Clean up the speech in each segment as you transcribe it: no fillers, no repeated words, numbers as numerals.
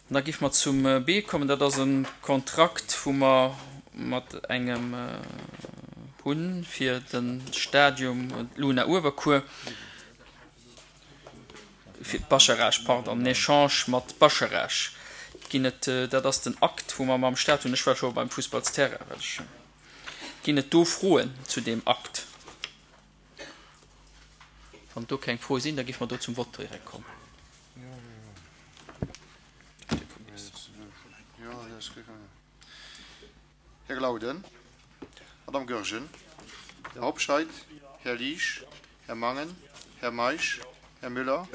An da géife mer zum B kommen. Dat ass e Kontrakt, wou mer mat engem hu fir de Stadium Luna Uewerkuer, fir d'Bascharage, pardon, en Echange mat Bascharage ginn et. Dat ass den Akt, wou mer mam Stat hunn. Ech war scho beim Fussballsterrain, well ech. Ginn et do Froen zu deem Akt? Wann do keng Froe sinn, da géife mer do zum Vott direkt kommen. Här Glauden, Madame Goergen, Här Hobscheit, Här Liesch, Här Mangen, Här Meisch, Här Müller,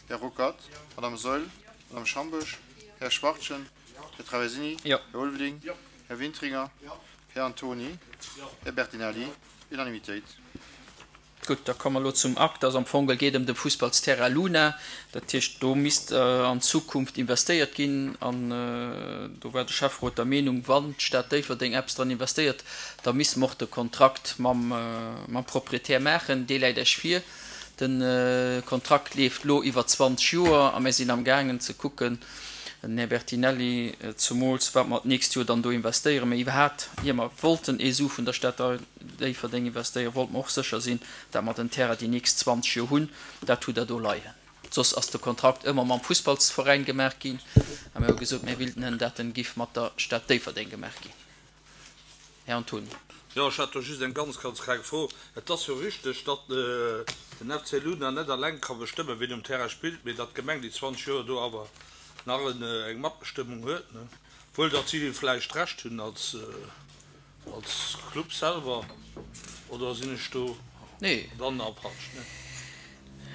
Här Ruckert, Madame Saeul, Madame Schamboesch, Här Schwachtgen, Här Traversini, Här Ulveling, Här Wintringer, Här Antony, Här Bertinelli. Unanimitéit. Gutt, da komme mer elo zum Akt. Also am Fong geet ëm de Fussballsterrain Luna. Dat heescht, do misst an Zukunft investéiert ginn. An do war de Schäfferot der Meenung, wann d'Stad Déifferdeng eppes dran investéiert, da misste mer och de Kontrakt mam Proprietär maachen. Dee läit Iech vir. De Kontrakt leeft elo iwwer 20 Joer a mir sinn amgaangen ze kucken, den Här Bertinelli zumools, wat mer d'nächst Joer dann do investéieren. Mä iwwerhaapt, ier mer wollten ee Su vun der Stad Déifferdeng investéieren, wollte mer och sécher sinn, dat mer den Terrain déi nächst 20 Joer hunn. Dat hutt Der do leien. Soss ass de Kontrakt ëmmer mam Fussballsveräin gemaach ginn. A mir hu gesot, mir willten en, dat en giff mat der Stad Déifferdeng gemaach ginn. Här Antony. Jo, ech hätt do just eng ganz, ganz kleng Fro. Et ass jo richteg, datt den FC Luna net alleng ka bestëmmen, wien um Terrain spillt, mee datt d'Gemeng déi 20 Joer do awer nach eng Matbestëmmung huet, ne? Wuel datt si vläicht Recht hunn als Als Club selwer, oder sinn ech do dann nach falsch?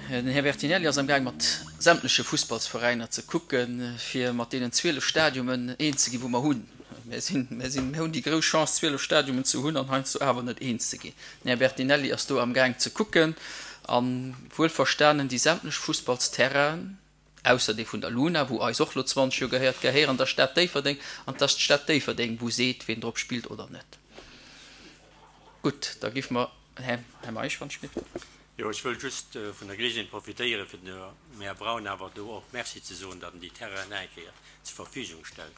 Den Här Bertinelli ass am gaang mat sämtleche Fussballsveräiner ze kucken, fir mat deenen 12 Stadiumen eens ze ginn, wou mer hunn. Mir sinn, mir sinn, mir hunn déi grouss Chance 12 Stadiumen ze hunn an heiansdo awer net eens ze ginn. Den Här Bertinelli ass do am gaang ze kucken a wuelverstanen déi sämtlech Fussballsterrainen, ausser dee vun der Luna, wou eis och lo 20 Joer gehéiert, gehéieren der Stad Déifferdeng an 't ass d'Stad Déifferdeng, wou seet, ween drop spillt oder net. Gutt, da giff mer, Här, Här Meisch, wann ech giff. Jo, ech wëll just vun der Gelegenheet profitéieren, fir dem Här Braun awer do och Merci ze soen, datt en déi Terrainen eng Kéier zur Verfügung stellt.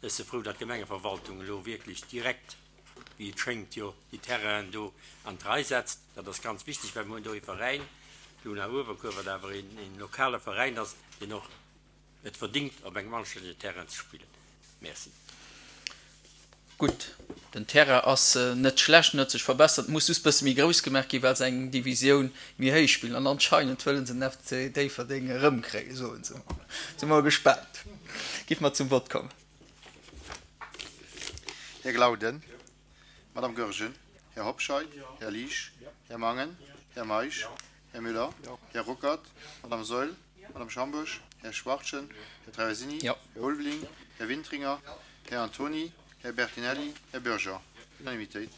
Ech si frou, datt d'Gemengeverwaltung elo wierklech direkt, wéi et schéngt, jo déi Terrainen do an d'Rei setzt. Dat ass ganz wichteg, well mir hunn do ee Veräin, d'Luna Uewerkuer, wat awer een lokale Veräin ass, deen och et verdingt, op engem anstännegen Terrain ze spillen. Merci. Gutt, den Terrain ass net schlecht, en huet sech verbessert, muss just bësse méi grouss gemaach ginn, well se eng Divisioun méi héich spillen. An anscheinend wëllen se den FC Déifferdeng erëmkréien, soen se. Si mer gespaant. Giff mer zum Vott kommen. Här Glauden, Madame Goergen, Här Hobscheit, Här Liesch, Här Mangen, Här Meisch, Här Müller, Här Ruckert, Madame Saeul, Madame Schamboesch, Här Schwachtgen, Här Traversini, Här Ulveling, Här Wintringer, Här Antony, Här Bertinelli, Här Bürger. Unanimitéit.